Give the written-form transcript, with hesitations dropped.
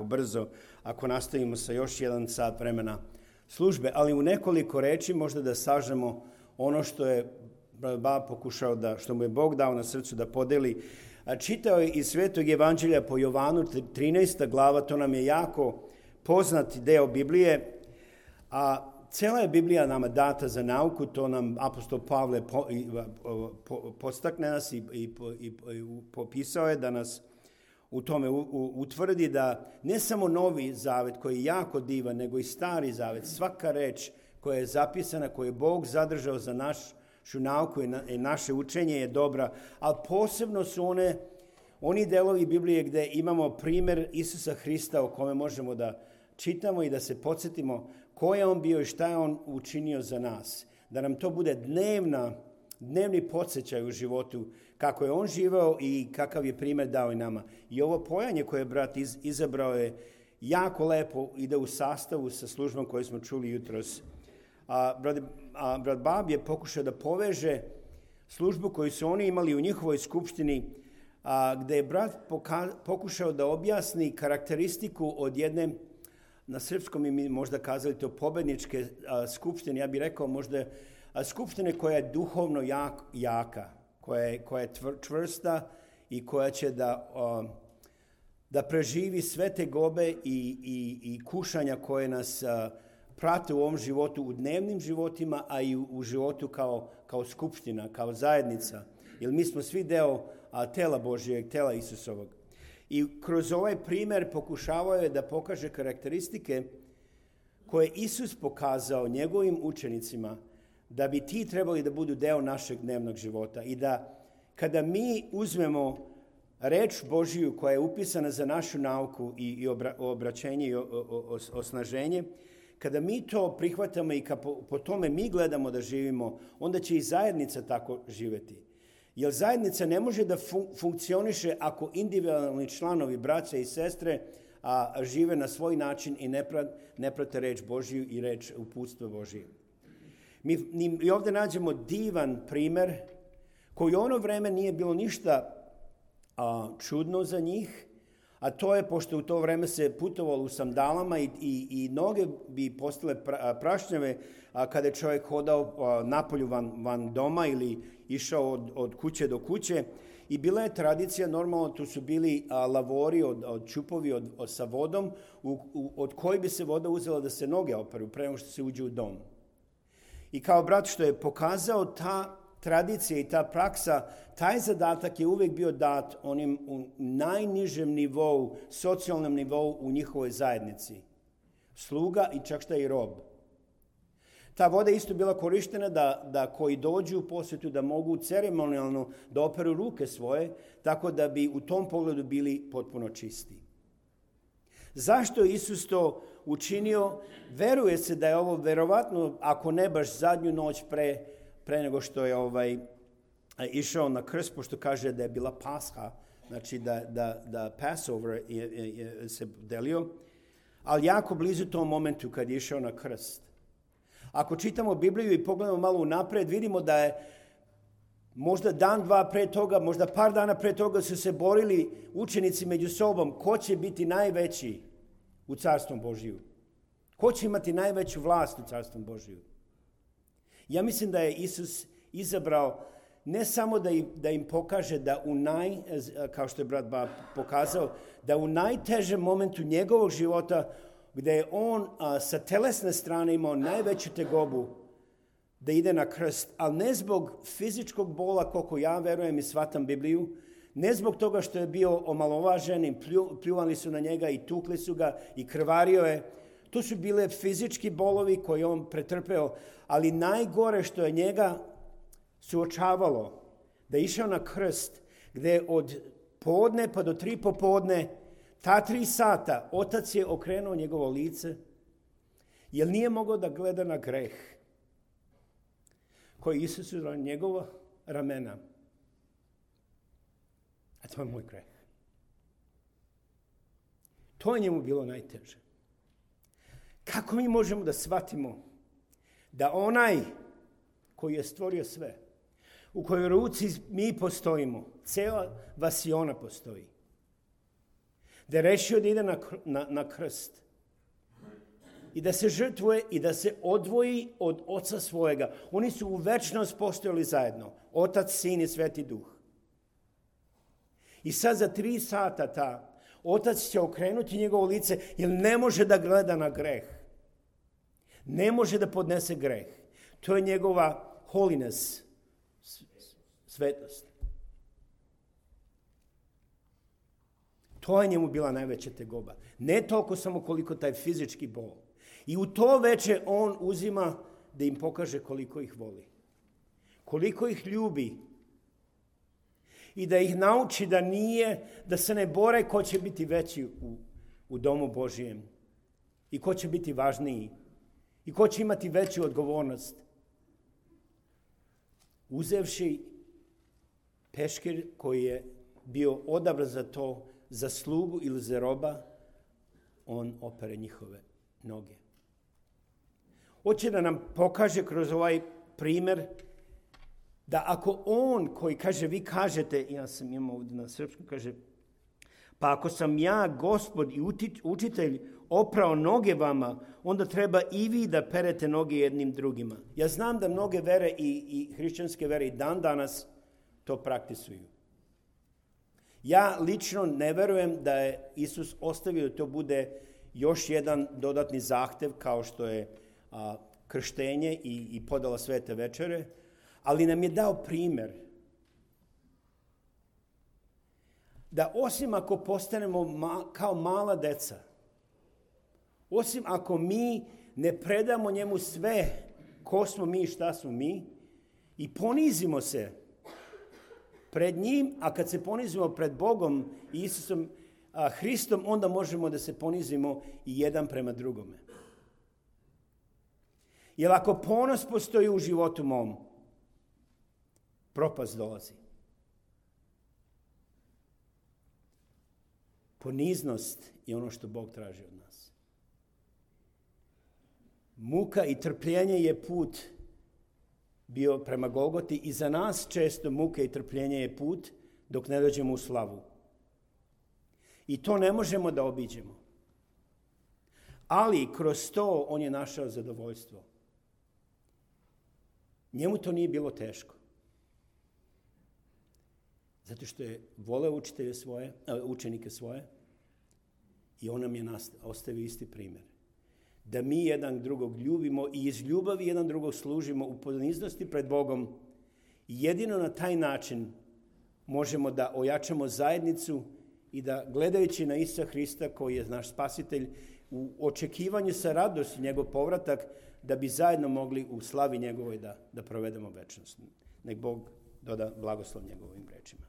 jako brzo ako nastavimo sa još 1 sat vremena službe, ali u nekoliko reči možda da sažemo ono što je Bob pokušao što mu je Bog dao na srcu da podeli. Čitao je iz Svetog evanđelja po Jovanu, 13. glava, to nam je jako poznati deo Biblije, a cela je Biblija nama data za nauku, to nam apostol Pavle podstakne nas i popisao je da nas u tome utvrdi da ne samo Novi Zavet koji je jako divan, nego i Stari Zavet, svaka reč koja je zapisana, koju je Bog zadržao za našu nauku i naše učenje je dobra, ali posebno su oni delovi Biblije gde imamo primjer Isusa Hrista o kome možemo da čitamo i da se podsjetimo ko je on bio i šta je on učinio za nas. Da nam to bude dnevni podsjećaj u životu, kako je on živeo i kakav je primjer dao i nama. I ovo pojanje koje je brat izabrao je jako lepo, ide u sastavu sa službom koju smo čuli jutros. Brat Bob je pokušao da poveže službu koju su oni imali u njihovoj skupštini, gde je brat pokušao da objasni karakteristiku od jedne, na srpskom mi možda kazali to, pobedničke skupštine, ja bih rekao možda skupštine koja je duhovno jaka, koja je čvrsta i koja će da preživi sve te gobe i kušanja koje nas prate u ovom životu, u dnevnim životima, a i u životu kao skupština, kao zajednica. Jer mi smo svi deo tela Božijeg, tela Isusovog. I kroz ovaj primjer pokušavao je da pokaže karakteristike koje Isus pokazao njegovim učenicima da bi ti trebali da budu deo našeg dnevnog života. I da kada mi uzmemo reč Božiju koja je upisana za našu nauku i obraćenje i osnaženje, kada mi to prihvatamo i po tome mi gledamo da živimo, onda će i zajednica tako živeti. Jer zajednica ne može da funkcioniše ako individualni članovi, braća i sestre, žive na svoj način i ne prate reč Božiju i reč uputstva Božije. Mi ovdje nađemo divan primer koji u ono vreme nije bilo ništa čudno za njih, a to je, pošto u to vreme se putovalo u sandalama i noge bi postale prašnjave kada je čovjek hodao napolju van doma ili išao od kuće do kuće. I bila je tradicija, normalno tu su bili lavori od čupovi sa vodom, od koji bi se voda uzela da se noge operu pre nego što se uđe u dom. I kao brat što je pokazao, ta tradicija i ta praksa, taj zadatak je uvijek bio dat onim u najnižem nivou, socijalnom nivou u njihovoj zajednici. Sluga i čak šta i rob. Ta voda isto bila korištena da koji dođu u posjetu da mogu ceremonijalno da operu ruke svoje, tako da bi u tom pogledu bili potpuno čisti. Zašto je Isus to učinio? Veruje se da je ovo verovatno, ako ne baš zadnju noć pre nego što je išao na krst, pošto kaže da je bila Pasha, znači da Passover se delio, ali jako blizu tom momentu kad je išao na krst. Ako čitamo Bibliju i pogledamo malo unapred, vidimo da je možda dan, dva pre toga, možda par dana pre toga su se borili učenici među sobom ko će biti najveći u Carstvom Božiju. Ko će imati najveću vlast u Carstvom Božiju. Ja mislim da je Isus izabrao ne samo da im pokaže da kao što je brat Bob pokazao, da u najtežem momentu njegovog života, gde je on sa telesne strane imao najveću tegobu da ide na krst, ali ne zbog fizičkog bola, koliko ja verujem i shvatam Bibliju, ne zbog toga što je bio omalovažen i pljuvali su na njega i tukli su ga i krvario je. To su bile fizički bolovi koje on pretrpeo, ali najgore što je njega suočavalo, da je išao na krst, gde od podne pa do 3 popodne, ta 3 sata, otac je okrenuo njegovo lice, jer nije mogao da gleda na greh koji Isus na njegova ramena. A to je moj greh. To je njemu bilo najteže. Kako mi možemo da shvatimo da onaj koji je stvorio sve, u kojoj ruci mi postojimo, cela vasiona postoji, Da je rešio da ide na krst. I da se žrtvuje i da se odvoji od oca svojega. Oni su u večnost postojali zajedno. Otac, Sin i Sveti Duh. I sad za 3 sata otac će okrenuti njegovo lice jer ne može da gleda na greh. Ne može da podnese greh. To je njegova holiness, svetost. To je njemu bila najveća tegoba. Ne toliko samo koliko taj fizički bol. I u to veče on uzima da im pokaže koliko ih voli. Koliko ih ljubi. I da ih nauči da se ne bore ko će biti veći u domu Božijem. I ko će biti važniji. I ko će imati veću odgovornost. Uzevši peškir koji je bio odabran za to, za slugu ili za roba, on opere njihove noge. Hoće da nam pokaže kroz ovaj primjer da ako on koji kaže, vi kažete, ja sam imao ovdje na srpskom, kaže, pa ako sam ja, Gospod i učitelj, oprao noge vama, onda treba i vi da perete noge jednim drugima. Ja znam da mnoge vere i hrišćanske vere i dan danas to praktisuju. Ja lično ne verujem da je Isus ostavio da to bude još jedan dodatni zahtev kao što je krštenje i podala svete večere, ali nam je dao primjer da osim ako postanemo kao mala deca, osim ako mi ne predamo njemu sve ko smo mi i šta smo mi i ponizimo se pred njim, a kad se ponizimo pred Bogom i Isusom Hristom, onda možemo da se ponizimo i jedan prema drugome. Jer ako ponos postoji u životu mom, propast dolazi. Poniznost je ono što Bog traži od nas. Muka i trpljenje je put bio prema Golgoti i za nas često muka i trpljenje je put dok ne dođemo u slavu. I to ne možemo da obiđemo. Ali kroz to on je našao zadovoljstvo. Njemu to nije bilo teško. Zato što je voleo učenike svoje i on nam je ostavio isti primjer. Da mi jedan drugog ljubimo i iz ljubavi jedan drugog služimo u poniznosti pred Bogom. I jedino na taj način možemo da ojačamo zajednicu i da gledajući na Isusa Hrista koji je naš spasitelj u očekivanju sa radosti njegov povratak da bi zajedno mogli u slavi njegovoj da provedemo večnost. Nek Bog doda blagoslov njegovim rečima.